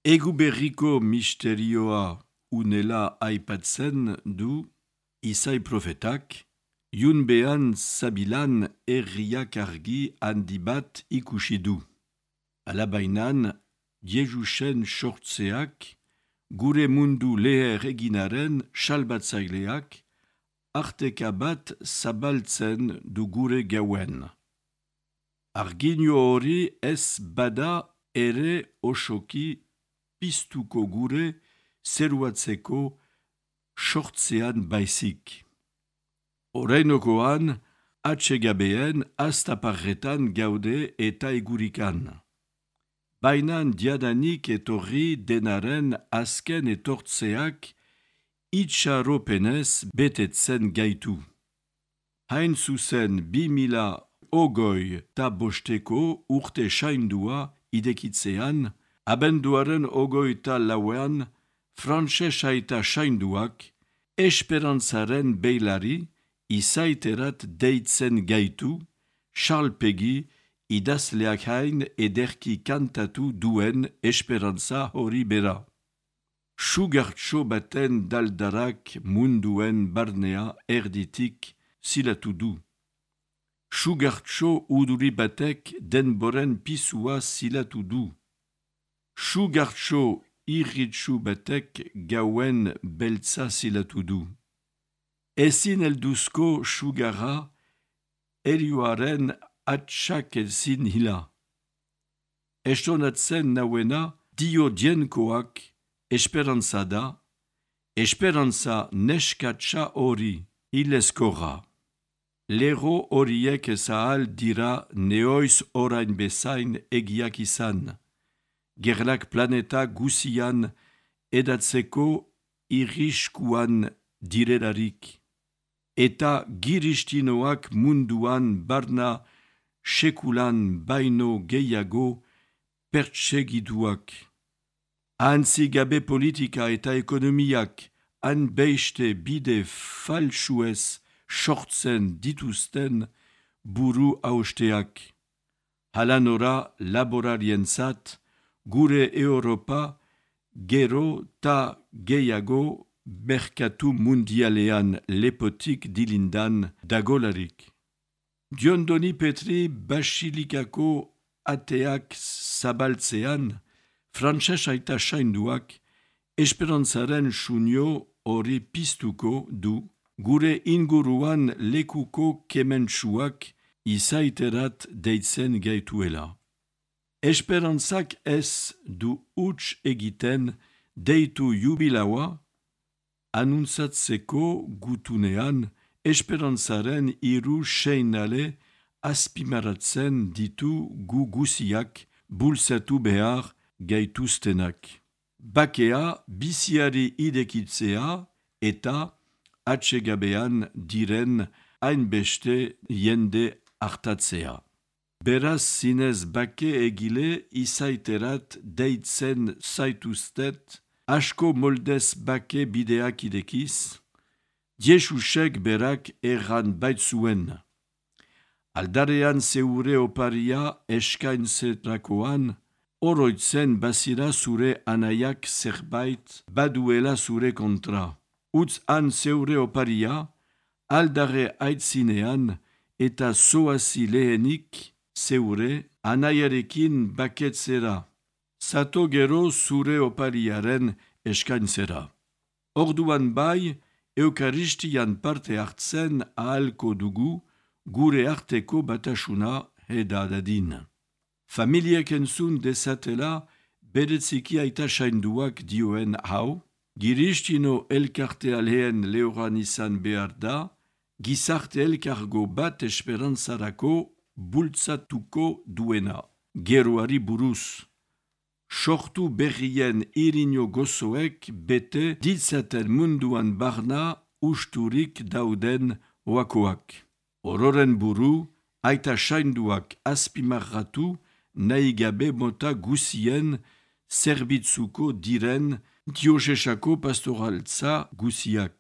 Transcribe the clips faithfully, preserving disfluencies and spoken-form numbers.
Egu berriko misterioa unela aipatzen du Isai profetak, Iunbean zabilan herriak argi handi bat ikusi du. Alabainan, Jesusen sortzeak, gure mundu leher eginaren salbatzaileak, arteka bat zabaltzen du gure gauen. Arginio hori ez bada ere osoki piztuko gure zeruatzeko sortzean baizik. Orainokoan, atsegabeen astaparretan gaude eta egurikan. Bainan diadanik etorri denaren azken etortzeak itxaropenez betetzen gaitu. Hain zuzen bi mila ogoi ta bosteko urte saindua idekitzean, abenduaren ogoi ta lauean, frantses aita sainduak, esperantzaren beilari, izaiterat deitzen gaitu, salpegi, idazleak hain ederki kantatu duen esperantza hori bera. Sugartxo baten daldarak munduen barnea erditik zilatu du. Sugartxo uduri batek denboren pisua zilatu du. Sugartxo irritsu batek gauen beltza zilatu du. Ezin elduzko sugarra, erioaren atxak ezin hila. Estonatzen nauena dio dienkoak esperantza da, esperantza neskatsa hori hilezkorra. Lero horiek ezahal dira neoiz orain bezain egiak izan. Gerlak planeta guzian edatzeko irriskuan direlarik. Eta giristinoak munduan barna sekulan baino gehiago pertsegiduak. Antzi gabe politika eta ekonomiak han beiste bide falsuez sortzen dituzten buru hausteak. Halanora laborarientzat, gure Europa gero ta gehiago merkatu mundialean lepotik dilindan dagolarik. Diondoni Petri basilikako ateak zabaltzean, frantses aita sainduak, esperantzaren sunio hori piztuko du, gure inguruan lekuko kementsuak izaiterat deitzen gaituela. Esperantzak ez du huts egiten deitu jubilaua, anuntzatzeko gutunean esperantzaren hiru seinale azpimaratzen ditu gu guziak bultzatu behar gaituztenak. Bakea biziari idekitzea eta atsegabean diren hainbeste jende hartatzea. Beraz zinez bake egile izaiterat deitzen zaituztet, asko moldez bake bideak idekiz, Jesusek berak erran baitzuen. Aldarean zeure oparia eskaintzerakoan, oroitzen bazira zure anaiak zerbait baduela zure kontra. Utz han zeure oparia, aldare aitzinean eta zoazi lehenik zeure anaiarekin baketzera. Zato gero zure opariaren eskaintzera. Orduan bai, Eukaristian parte hartzen ahalko dugu gure arteko batasuna edadadin. Familiek entzun dezatela beretziki aita sainduak dioen hau, giristino elkartea lehen lehoran izan behar da, gizarte elkargo bat esperantzarako bultzatuko duena. Geroari buruz. Sortu berrien irino gozoek bete ditzaten munduan barna usturik dauden oakoak. Ororen buru, aita sainduak azpimarratu nahi gabe mota guzien zerbitzuko diren diosesako pastoraltza guziak.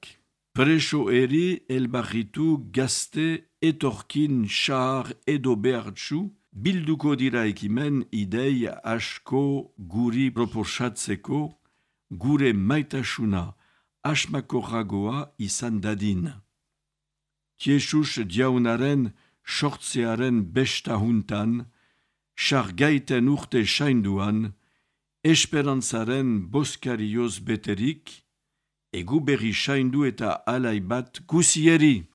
Preso eri elbarritu gazte etorkin xahar edo behartsu bilduko dira ekimen idei asko guri proposatzeko, gure maitasuna asmakorragoa izan dadin. Jesus jaunaren sortzearen besta huntan, sargaiten urte sainduan, esperantzaren boskarioz beterik, egu berri saindu eta alai bat guzieri.